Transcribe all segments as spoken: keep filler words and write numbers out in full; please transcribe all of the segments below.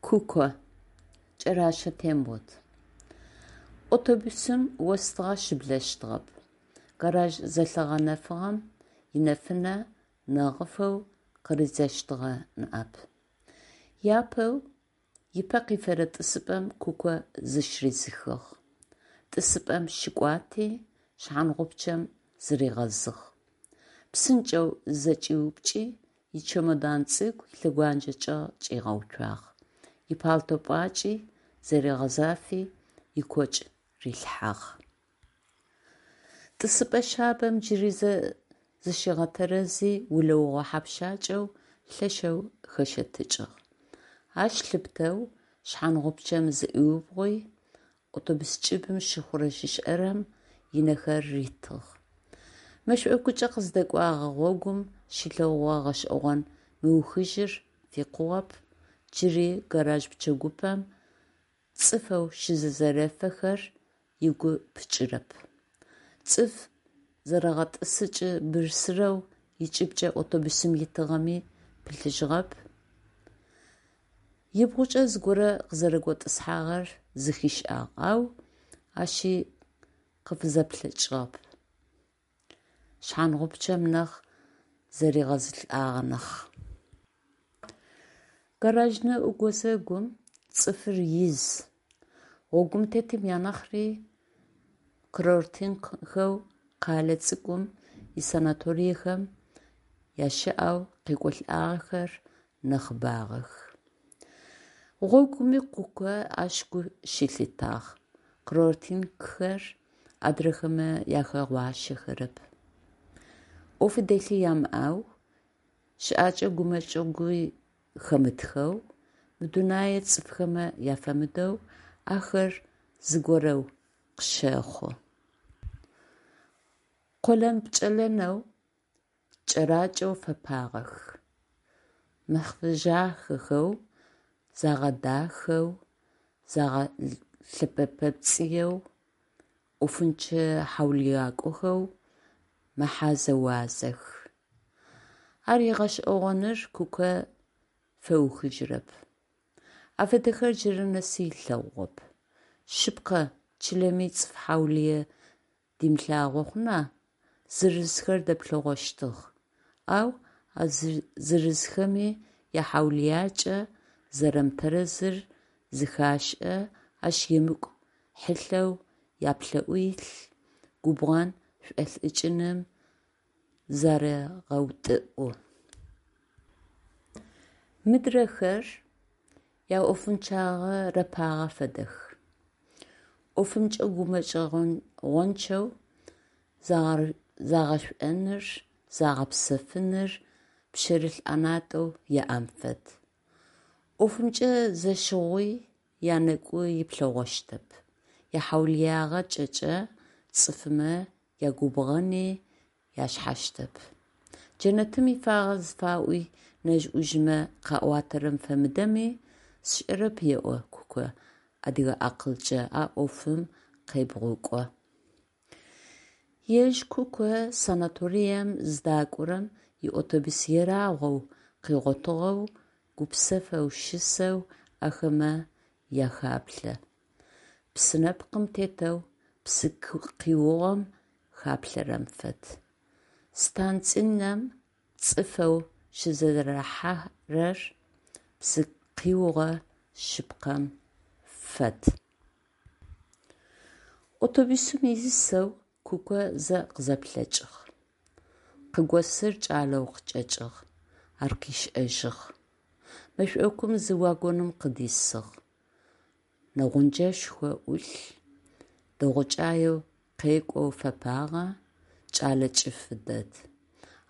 Куко, Кӏэращэ Тембот. Автобусым остыгъэ щыблэщтыгъэп, гараж зэлъыгъэнэфыгъэм инэфынэ нэгъыфэу къыридзэщтыгъэ ныӏэп. Япэу ыпэ къифэрэ тӏысыпӏэм Куко зыщыридзыхыгъ. Тӏысыпӏэм щыкӏуати, шъхьангъупчъэм зыригъэзыгъ. Псынкӏэу зызэкӏиупкӏи, ичемодан цӏыкӏу илъэгуанджэ чӏэгъ чӏигъэуцуагъ, ипалто пӏуакӏи зэригъэзафи, ыкокӏ рилъхьагъ. Тӏысыпӏэ шъабэм джыри зэ зыщигъэтэрэзи, улэугъэ хьэпщакӏэу лъэшэу хэщэтыкӏыгъ. Ащ лъыпытэу шъхьангъупчъэм зыӏуиубгъуи, автобус кӏыбым щыхъурэ-щышӏэрэм ынэхэр ритыгъ. Мэшӏокукӏэ къыздэкӏогъэ гъогум щилъэгъугъэ гъэшӏэгъон мыухыжьыр фикъугъэп, джыри гараж пчэгупэм цӏыфэу щызэрэзефэхэр ыгу пыкӏырэп. Цӏыф зэрэгъэтӏысыкӏ бырсырэу ыкӏыбкӏэ автобусым итыгъэми пылъыжьыгъэп. Ыбгъукӏэ зыгорэ къызэрэготӏысхьагъэр зэхишӏагъ, ау ащи къыфызэплъэкӏыгъэп, шъхьангъупчъэм нахь зыригъэзылӏагъ нахь. Гаражнэӏу гузэгум цӏыфыр из, гъогум тетым анахьри курортникхэу къэлэ цӏыкӏум исанаториехэм ящыӏэу къекӏолӏагъэхэр нахьыбагъэх. Гъогуми Куко ащ гу щылъитагъ: курортникхэр адрэхэмэ ахэгъуащэхэрэп. Ӏофи дэлъи ямыӏэу, щыӏэкӏэ гумэкӏыгъуи хэмытхэу, мы дунэе цӏыфхэмэ афэмыдэу ахэр зыгорэу къыщэхъу. Къолэн-пкӏэлэнэу, кӏэракӏэу фэпагъэх, мэхъыжъахэхэу, загъэдахэу, загъэлъэпэпцӏыеу, ӏофынчъэ-хьаулыякӏохэу мэхьазэ-уазэх. Ар гъэшӏэгъоныр Куко фэухыжьырэп. Афэдэхэр джырэ нэсы ылъэгъугъэп. Шъыпкъэ, чылэми цӏыф хьаулые димылъагъо хъуна, зырызхэр дэплъэгъощтых, ау а зырызхэми яхьаулыякӏэ зэрэмытэрэзыр зэхашӏэ, ащ емыкӏу хьылъэу яплӏэӏу илъ, губгъэн шӏолӏыкӏыным зарегъэутӏыӏу. Мыдрэхэр яӏофынчъагъэ рэпагъэ фэдэх, ӏофымкӏэ гумэкӏыгъончъэу загъэшӏоныр, загъэпсэфыныр пшъэрылъ ӏэнатӏэу яӏэм фэд. ӏофымкӏэ зэщыгъуи янэкӏу иплъэгъощтэп, яхьаулыягъакӏэкӏэ цӏыфмэ ягубгъэни яшъхьасыщтэп. Джэнэтым ифагъэ зыфаӏуи нэжъ-ӏужъмэ къаӏуатэрэм фэмыдэми сшӏэрэп еӏо Куко, адыгэ акъылкӏэ а ӏофым къебгъукӏо. Ежь Куко санаторием зыдакӏорэм иавтобус ерагъоу къыгъотыгъэу, гупсэфэу щысэу ахэмэ ахаплъэ, псы нэпкъым тетэу псы къиугъэм хаплъэрэм фэд. Станцинэм цӏыфэу щызэрахьэрэр псы къиугъэ шъыпкъэм фэд. Автобусым исэу Куко зэ къызэплъэкӏыгъ. Къыгосыр кӏалэу къычӏэкӏыгъ, ар къышӏэжьыгъ. Мэшӏокум зы вагоным къыдисыгъ. Нэгъунджэшхо ӏулъ, дэгъукӏаеу къекӏоу фэпагъэ, кӏэлэ кӏыфы дэд.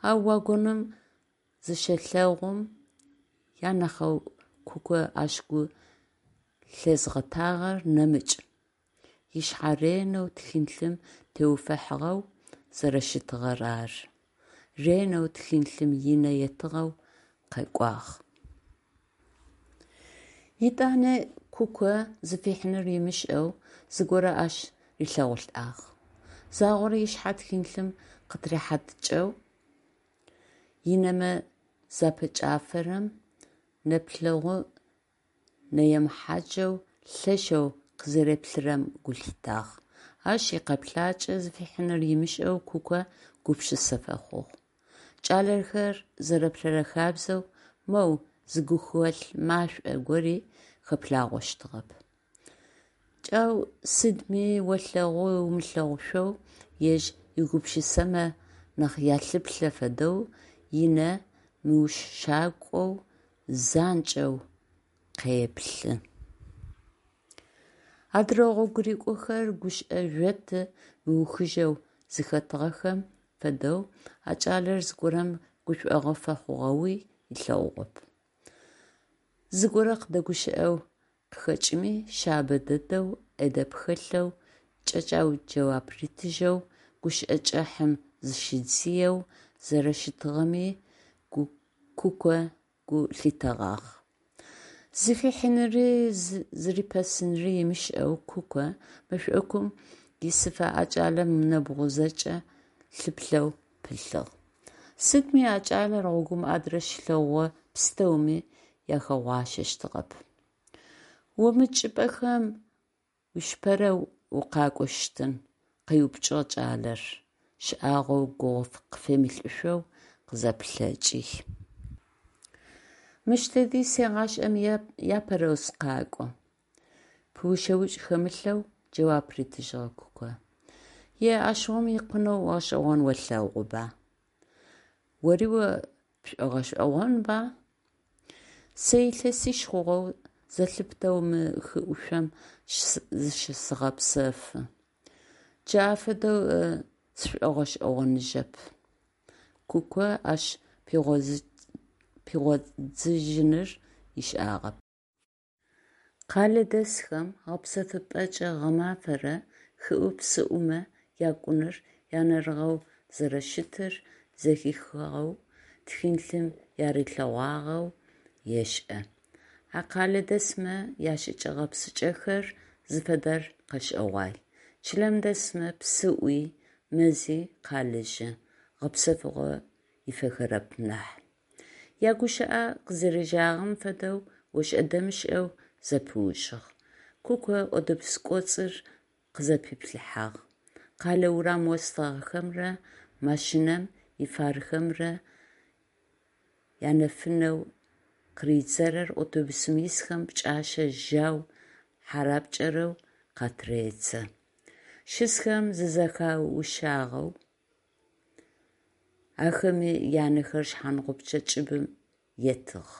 Ау вагоным зыщелъэгъум анахьэу Куко ащ гу лъезгъэтагъэр нэмыкӏ: ышъхьэ ренэу тхылъым теуфэхыгъэу зэрэщытыгъэр ары. Ренэу тхылъым ынэ етыгъэу къэкӏуагъ. Етӏани Куко зыфихьыныр ымышӏэу зыгорэ ащ рилъэгъулӏагъ. Загъорэ ышъхьэ тхылъым къытырихьатыкӏэу ынэмэ запэкӏафэрэм, нэплъэгъу Нэемыхьаджэу лъэшэу къызэреплъырэм гу лъитагъ. Ащ икъэплъакӏэ зыфихьыныр ымышӏэу Куко гупшысэ фэхъугъ. Кӏалэхэр зэрэплъэрэ хабзэу, моу зы гухэлъ машӏо гори хэплъагъощтыгъэп. Кӏэу сыдми олъэгъу-умылъэгъушъоу, ежь игупшысэмэ нахь ялъыплъэ фэдэу, инэ мыушъакӏоу занкӏэу къеплъы. Адырэ гъогурыкӏохэр гушӏо жъоты мыухыжьэу зыхэтыгъэхэм фэдэу, а кӏалэр зыгорэм гушӏуагъо фэхъугъэуи ылъэгъугъэп. Зыгорэ къыдэгущыӏэу къыхэкӏыми, шъабэ дэдэу, ӏэдэб хэлъэу, кӏэкӏэу джэуап ритыжьэу, гущыӏэ кӏыхьым зыщидзыеу зэрэщытыгъэми Куко гу лъитэгъагъ. Зыфихьыныри зырипэсыныри ымышӏэу Куко мэшӏокум исыфэ а кӏалэм ынэбгъу зэкӏэ лъыплъэу пылъыгъ. Сыдми а кӏалэр гъогум адрэ щилъэгъугъэ пстэуми ахэгъуащэщтыгъэп. «О мы чӏыпӏэхэм уишъыпэрэу укъакӏощтын?» – къеупчӏыгъ кӏалэр, шӏагъоу гугъу къыфемылӏышъоу къызэплъэкӏи. «Мыщ дэди сегъашӏэм апэрэу сыкъакӏо», – пыушъэукӏ хэмылъэу джэуап ритыжьыгъ Куко. «Е, ащыгъум икъунэу гъэшӏэгъон олъэгъуба? Ори о пшӏогъэшӏэгъонба? Сэ илъэсищ хъугъэу зэлъыптэу мы хы ӏушъом зыщысэгъэпсэфы. Джы афэдэу сшӏогъэшӏэгъоныжьэп», – Куко ащ пигъодзыжьыныр ышӏагъэп. Къэлэдэсхэм гъэпсэфыпӏэкӏэ гъэмафэрэ хыӏу-псыӏумэ якӏуныр янэрыгъэу зэрэщытыр зэхихыгъэу, тхылъым ярилъэгъуагъэу ешӏэ. А къэлэдэсмэ яшӏыкӏэ-гъэпсыкӏэхэр зыфэдэр къэшӏэгъуай. Чылэм дэсмэ псыӏуи, мэзи къалэжьы, гъэпсэфыгъо ифэхэрэп нахь. Ягущыӏэ къызэрежьагъэм фэдэу ошӏэ-дэмышӏэу зэпыужьыгъ. Куко автобус кӏоцӏыр къызэпиплъыхьагъ. Къэлэ урам остыгъэхэмрэ машинэм ифархэмрэ янэфынэу къыридзэрэр автобусым исхэм пкӏашъэ жьау хьарапкӏэрэу къатыредзэ. Щысхэм зызэхаушъагъэу, ахэми янэхэр шъхьангъупчъэ кӏыбым етыгъ.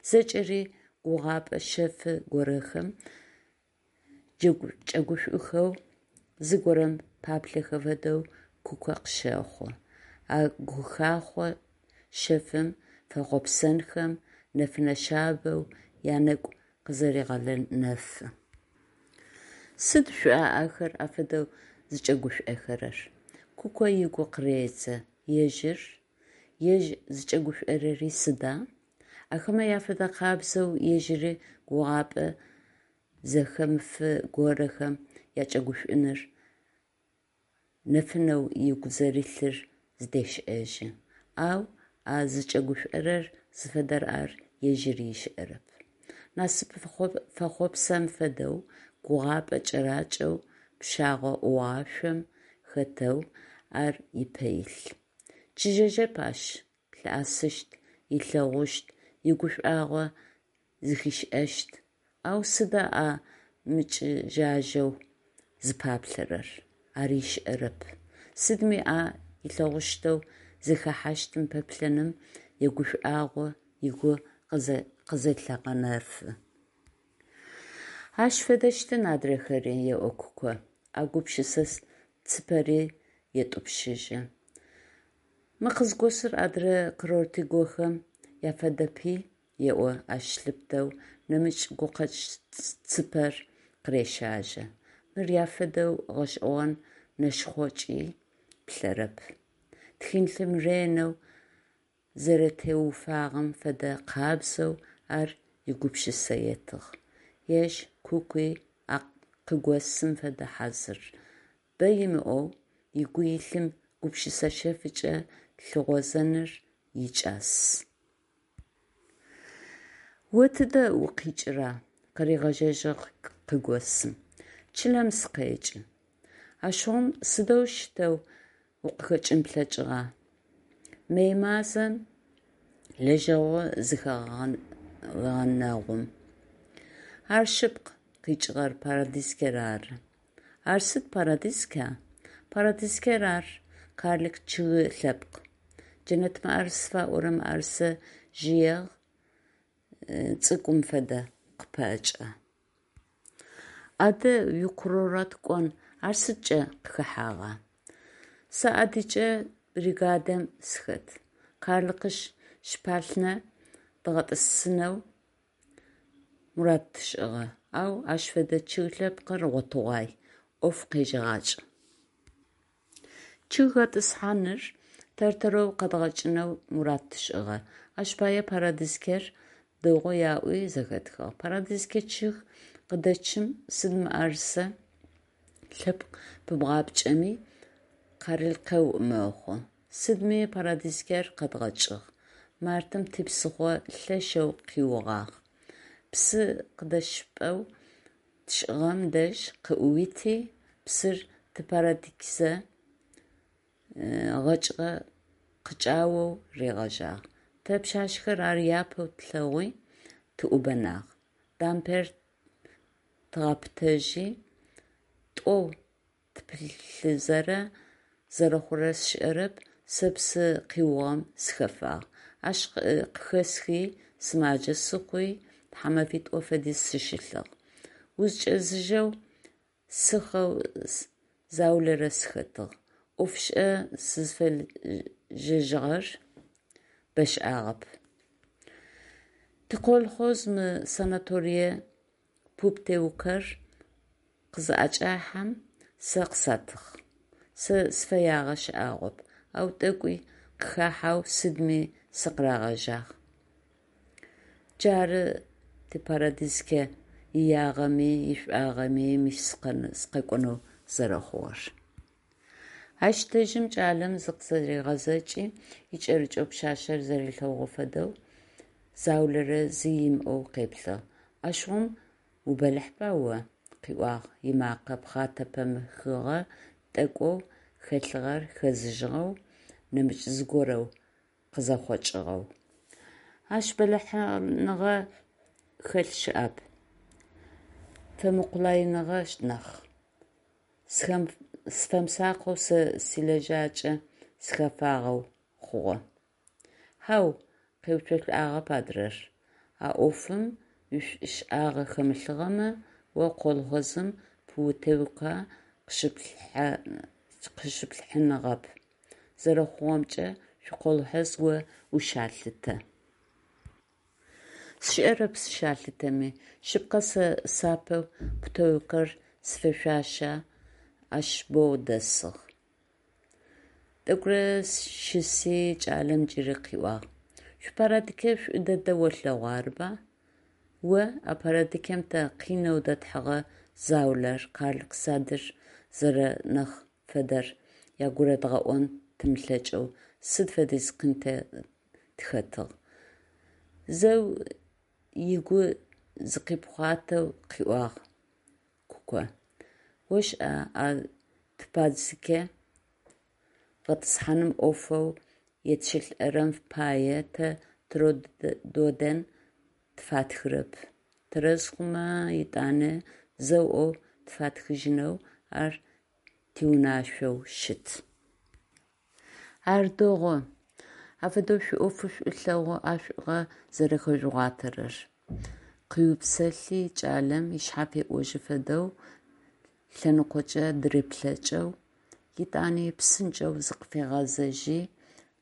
Зэкӏэри гугъапӏэ шъэфы горэхэм кӏэгушӏухэу, зыгорэм паплъэхэ фэдэу Куко къыщэхъу. А гухахъо шъэфым фэхъопсэнхэм нэфынэ шъабэу янэгу къызэрегъэнэфы. Сыд шӏуа ахэр афэдэу зыкӏэгушӏохэрэр? Куко ыгу къыредзэ. Ежьыр? Ежь зыкӏэгушӏорэри сыда? Ахэмэ афэдэ къабзэу ежьыри гугъапӏэ зэхэмыфы горэхэм якӏэгушӏуныр нэфынэу ыгу зэрилъыр зыдешӏэжьы. Ау а зыкӏэгушӏорэр зыфэдэр ар ежьыри ышӏэрэп. Насып фэхъопсэн фэдэу, гугъапӏэ кӏэракӏэу пщагъо ӏугъашъом хэтэу ар ыпэ илъ. Чыжьэжьэп ащ, лъыӏэсыщт, ылъэгъущт, игушӏуагъо зэхишӏэщт. Ау сыда а мычыжьэжьэу зыпаплъэрэр? Ар ышӏэрэп. Сыдми а ылъэгъущтэу зыхэхьащтым пэплъэным игушӏуагъо ыгу къызэлъегъэнэфы. Ащ фэдэщтын адрэхэри, еӏо Куко, а гупшысэ цыпэри етӏупщыжьы. Мы къызгосыр адрэ курортыгохэм афэдэпи, еӏо ащ лъыпытэу нэмыкӏ гукъэкӏ цыпэр къырещажьэ. Мыр афэдэу гъэшӏэгъон нэшхъокӏи плъэрэп. Тхылъым ренэу зэрэтеуфагъэм фэдэ къабзэу ар игупшысэ етыгъ. Ежь Кукуи а къыгосым фэдэ хьазыр: бэ имыӏэу, ыгу илъым гупшысэ шъэфыкӏэ лъыгъозэныр икӏас. О тыдэ укъикӏыра? Къыригъэжьэжьыгъ къыгосым. Чылэм сыкъекӏы. Ащыгъум сыдэущтэу укъыхэкӏын плъэкӏыгъа? Мэй мазэм, лэжьэгъу зэхэгъэнэгъум. Ар шъыпкъ, къикӏыгъэр Парадизкэр ары. Ар сыд Парадизка? Парадизкэр ар карлик чъыгы лъэпкъ. Джэнэт мыӏэрыс зыфаӏорэ мыӏэрысэжъые цӏыкӏум фэдэ къыпэкӏэ. Адэ уикурорт кӏон ар сыдкӏэ къыхэхьагъа? Сэ адыкӏэ бригадэм сыхэт. Къарлыкъышъ шпалънэ дгъэтӏысынэу мурад тшӏыгъэ, ау ащ фэдэ чъыг лъэпкъыр гъотыгъуай, ӏоф къежьэгъакӏ. Чъыг гъэтӏысхьаныр тэр-тэрэу къэдгъэкӏынэу мурад тшӏыгъэ. Ащ пае парадизкэр дэгъу яӏуи зэхэтхыгъ. Парадизкэ чъыг къыдэчъым сыд мыӏэрысэ лъэпкъ пыбгъапкӏэми, къарлыкэу мэхъу. Сыдми парадизкэр къэдгъэкӏыгъ. Мартым типсыхъо лъэшэу къиугъагъ. Псы къыдэщыпӏэу тшӏыгъэм дэжь къыӏуити, псыр типарадизкэ гъэкӏыгъэ къыкӏаоу ригъэжьагъ. Тэ, пшъашъэхэр, ар апэу тлъэгъуи тыӏубэнагъ. Дамбэр тыгъэпытэжьи, тӏоу тыпылъызэрэ, зэрэхъурэр сшӏэрэп, сэ псы къиугъэм сыхэфагъ. Ащ къыхэсхи сымаджэ сыхъуи тхьамэфитӏо фэдиз сыщылъыгъ. Узкӏэзыжьэу сыхъэу заулэрэ сыхэтыгъ. Ӏофышӏэ сызыфежьэжьыгъэр бэшӏагъэп. Тиколхоз мы санаторие путеукэр къызыӏэкӏахьэм сэ къысатыгъ. Сэ сыфэягъэ шӏагъоп, ау тӏэкӏуи къыхахьэу сыдми сыкъырагъэжьагъ. Джары типарадизкэ иягъэми ишӏуагъэми мыщ сыкъэкӏонэу зэрэхъугъэр. Ащ дэжьым кӏалэм зыкъызэригъэзэкӏи, икӏэрыкӏэу пшъашъэр зэрилъэгъугъэ фэдэу заулэрэ зи имыӏоу къеплъыгъ. Ащыгъум убэлахьба о? – къыӏуагъ, ымакъэ пхъэтэ-пэмыхыгъэ тӏэкӏоу хэлъыгъэр хэзыжьыгъэу, нэмыкӏ зыгорэу къызэхъокӏыгъэу. Ащ бэлахьыныгъэ хэлъ щыӏэп, фэмыкъулаиныгъэ нахь. Сыфэмысакъэу сэ силэжьакӏэ сыхэфагъэу хъугъэ. Хьау, къеуцолӏагъэп адрэр, а ӏофым уишӏушӏагъэ хэмылъыгъэмэ, о колхозым путевкэ къыщыпхьыныгъэп. Зэрэхъугъэмкӏэ, шъуиколхоз о ущалъытэ. Сшӏэрэп сыщалъытэми. Шъыпкъэ, сэ сапэ путевкэр зифэшъуашэ ащ боу дэсыгъ. Тӏэкӏурэ щыси, кӏалэм джыри къыӏуагъ: Шъуипарадикэ шӏу дэдэ олъэгъу, арыба? О а парадикэм тэ къинэу дэтхьыгъэ заулэр, къарлык садыр зэрэнахь федэр ягурыдгъэӏон тымылъэкӏэу сыд фэдиз къин тэ тыхэтыгъ? Зэу ыгу зыкъипхъуатэу къыӏуагъ Куко: Ошӏа, а типадзикэ гъэтӏысхьаным ӏофэу етшӏылӏэрэм пае тэ трудоден тфатхырэп, тэрэз хъумэ етӏанэ зэу ӏоф тфатхыжьынэу ар тиунашъоу щыт. Ар дэгъу, афэдэу шъуиӏофы шӏулъэгъу ӏэшӏугъэ зэрэхэжъугъуатэрэр, – къыупсэлъи кӏалэм, ышъхьэ феӏожьы фэдэу лъэныкъокӏэ дыреплъэкӏыгъ, етӏани псынкӏэу зыкъыфигъэзэжьи,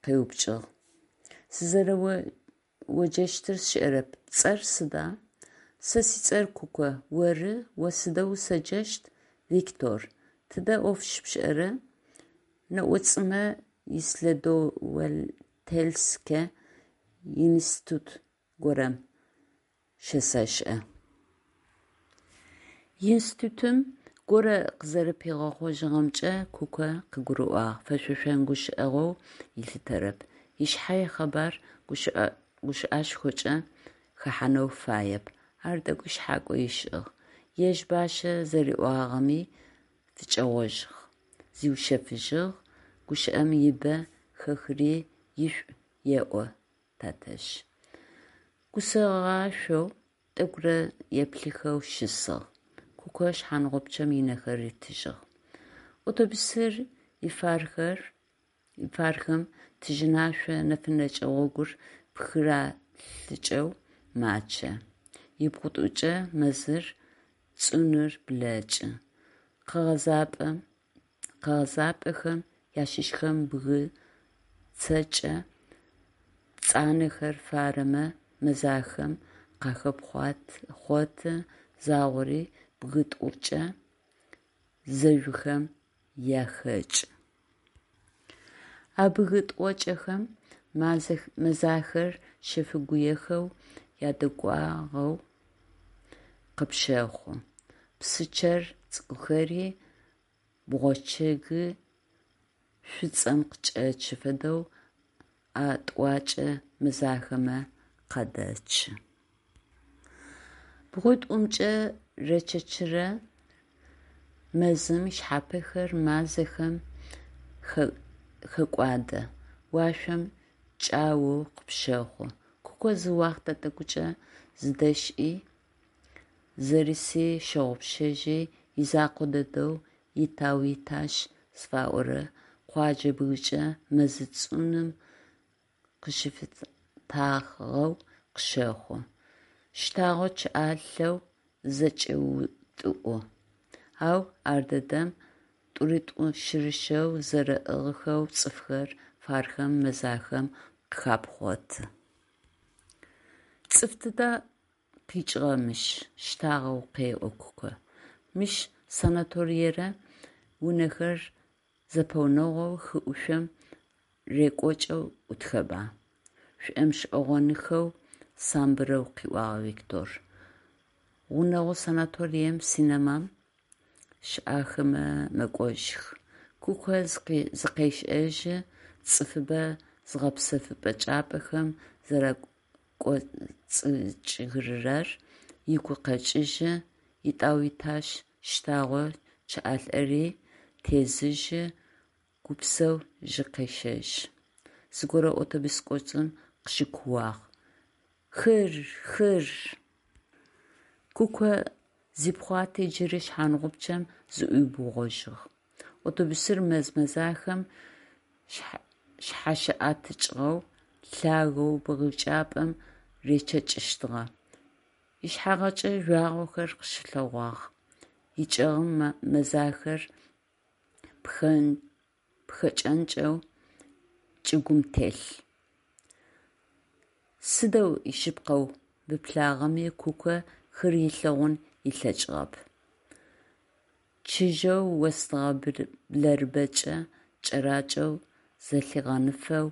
къеупчӏыгъ: – Сызэрэоджэщтыр сшӏэрэп, пцӏэр сыда? Сэ сцӏэр Куко, оры, о сыдэу усэджэщт? Виктор. Тыдэ ӏоф щыпшӏэра? Нэӏуцӏымэ исследовательскэ институт горэм щэсэшӏэ. Институтым горэ къызэрэпигъэхъожьыгъэмкӏэ Куко къыгурыӏуагъ, фэшъошэн гущыӏэгъоу ылъытэрэп, ышъхьэ икъэбар гущыӏэшхокӏэ хэхьанэу фаеп. Ар тӏэкӏуи шъхьакӏо ышӏыгъ, ежь бащэ зэриӏуагъэми фыкӏэгъожьыгъ, зиушъэфыжьыгъ: «Гущыӏэм ибэ хэхыри ишӏу еӏо тэтэжъ». Гусэгъашӏоу тӏэкӏурэ еплъыхэу щысыгъ. Куко шъхьангъупчъэм ынэхэр ритыжьыгъ. Автобусыр ифархэм тыжьынашъо нэфынэкӏэ гъогур пхыралъыкӏэу мачъэ. Ыбгъуитӏукӏэ мэзыр цӏынур блэкӏы. Къэгъэзапӏэхэм ащыщхэм бгы цэкӏэ пцӏанэхэр фарэмэ мэзахэм къахепхъоты, загъори бгы тӏокӏэ зэжъухэм яхэкӏы. А бгы тӏокӏэхэм мэзахэр щэфыгуехэу ядэгуагъэу къыпщэхъу. Псы чъэр цӏыкӏухэри бгъочъыгы шӏуцӏэм къыкӏэчъы фэдэу а тӏуакӏэ мэзахэмэ къадэчъы. Бгъуитӏумкӏэ речъэкӏырэ мэзым ышъхьапэхэр мазахэм хэкӏуадэ, уашъом чӏаоу къыпщэхъу. Куко зы уахътэ тӏэкӏукӏэ зыдэшӏи, зэрыси щыгъупшэжьи, изэкъо дэдэу итау-итащ зыфаӏорэ къоджэ бгычӏэ мэзы цӏуным къыщыфытагъэу къыщэхъу, щтагъэу чъыӏалъэу зызэкӏеутӏыӏу. Ау ардэдэм тӏурытӏу-щырыщэу зэрэӏыгъхэу цӏыфхэр фархэм мэзахэм къыхапхъоты. Цӏыф тыдэ къикӏыгъа мыщ? Щтагъэу къеӏо Куко. Мыщ санаториерэ унэхэр зэпэгъунэгъоу хы ӏушъом рекӏокӏэу ӏутхэба? Шӏомышӏэгъоныхэу самбырэу къыӏуагъ Виктор. Гъунэгъу санаторием, синемэм щыӏахымэ мэкӏожьых. Куко зыкъешӏэжьы, цӏыфыбэ зыгъэпсэфыпӏэ чӏыпӏэхэм зэракӏоцӏыкӏырэр ыгу къэкӏыжьы, итӏау-итащ щтагъэу чъыӏалӏэри тезыжьы, гупсэу жьы къещэжьы. Зыгорэ автобус кӏоцӏым къыщыкууагъ: «Хыр! Хыр!» Куко зипхъуати джыри шъхьангъупчъэм зыӏуиубгъожьыгъ. Автобусыр мэз мэзахэм шъхьащыӏэтыкӏыгъэу лъагэу бгы чӏапӏэм речъэкӏыщтыгъэ. Ышъхьагъкӏэ жъуагъохэр къыщылъэгъуагъ, ычӏэгъым мэзахэр пхэкӏэнкӏэу чӏыгум телъ. Сыдэу ишъыпкъэу пыплъагъэми Куко хыр ылъэгъун ылъэкӏыгъэп. Чыжьэу остыгъэ блэрыбэкӏэ кӏэракӏэу зэлъигъэнэфэу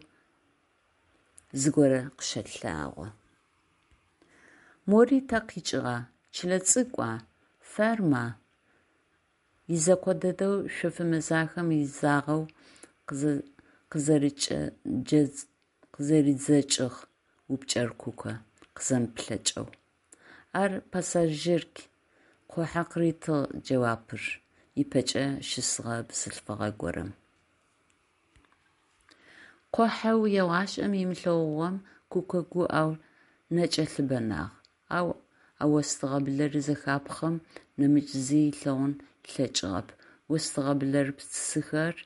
зыгорэ къыщэлъагъо. Мори тэ къикӏыгъа, чылэ цӏыкӏуа, ферма? Изэкъо дэдэу шъоф мэзахэм изагъэу къызэридзэкӏыгъ упчӏэр Куко, къызэмыплъэкӏэу. Ар пассажирк, къухьэ, къыритыгъ джэуапыр ыпэкӏэ щысыгъэ бзылъфыгъэ горэм. Къухьэу егъашӏэм ымылъэгъугъэм Куко гуӏэу нэкӏэ лъыбэнагъ, ау а остыгъэ блэры зэхапхъэм нэмыкӏ зи ылъэгъун ылъэкӏыгъэп. Остыгъэ блэрыпсыхэр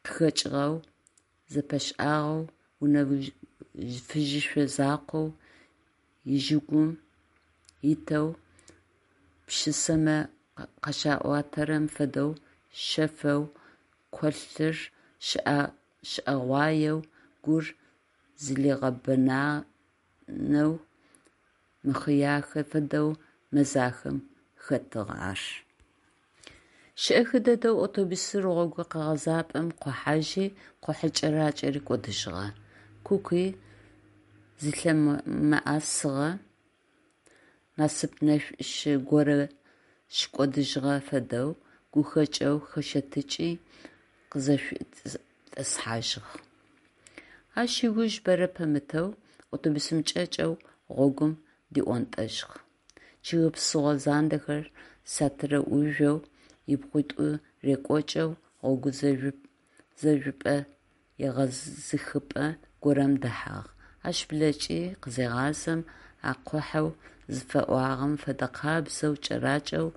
къыхэкӏыгъэу, зэпэшӏагъэу, унэ фыжьышъо закъоу ижъыгум итэу, пшысэмэ къащаӏуатэрэм фэдэу шъэфэу къолъыр щыӏэгъуаеу, гур зылъигъэбэнэу, мыхъыяхэ фэдэу мэзахэм хэтыгъ ар. Шӏэхы дэдэу автобусыр гъогу къэгъэзапӏэм къохьажьи, къухьэ кӏэракӏэри кӏодыжьыгъэ. Кукуи зылъымыӏэсыгъэ насып-нэшӏошӏ горэ щыкӏодыжьыгъэ фэдэу, гухэкӏэу хэщэтыкӏи, къызэшӏуитӏысхьажьыгъ. Ащ ыуж бэрэ пэмытэу автобусым кӏэкӏэу гъогум диӏонтӏэжьыгъ. Чъыг псыгъо зандэхэр сатырэ ӏужъоу ыбгъуитӏу рекӏокӏэу гъогу зэжъупӏэ егъэзыхыпӏэ горэм дэхьагъ, ащ блэкӏи къызегъазэм, а къухьэу зыфаӏуагъэм фэдэкъабзэу кӏэракӏэу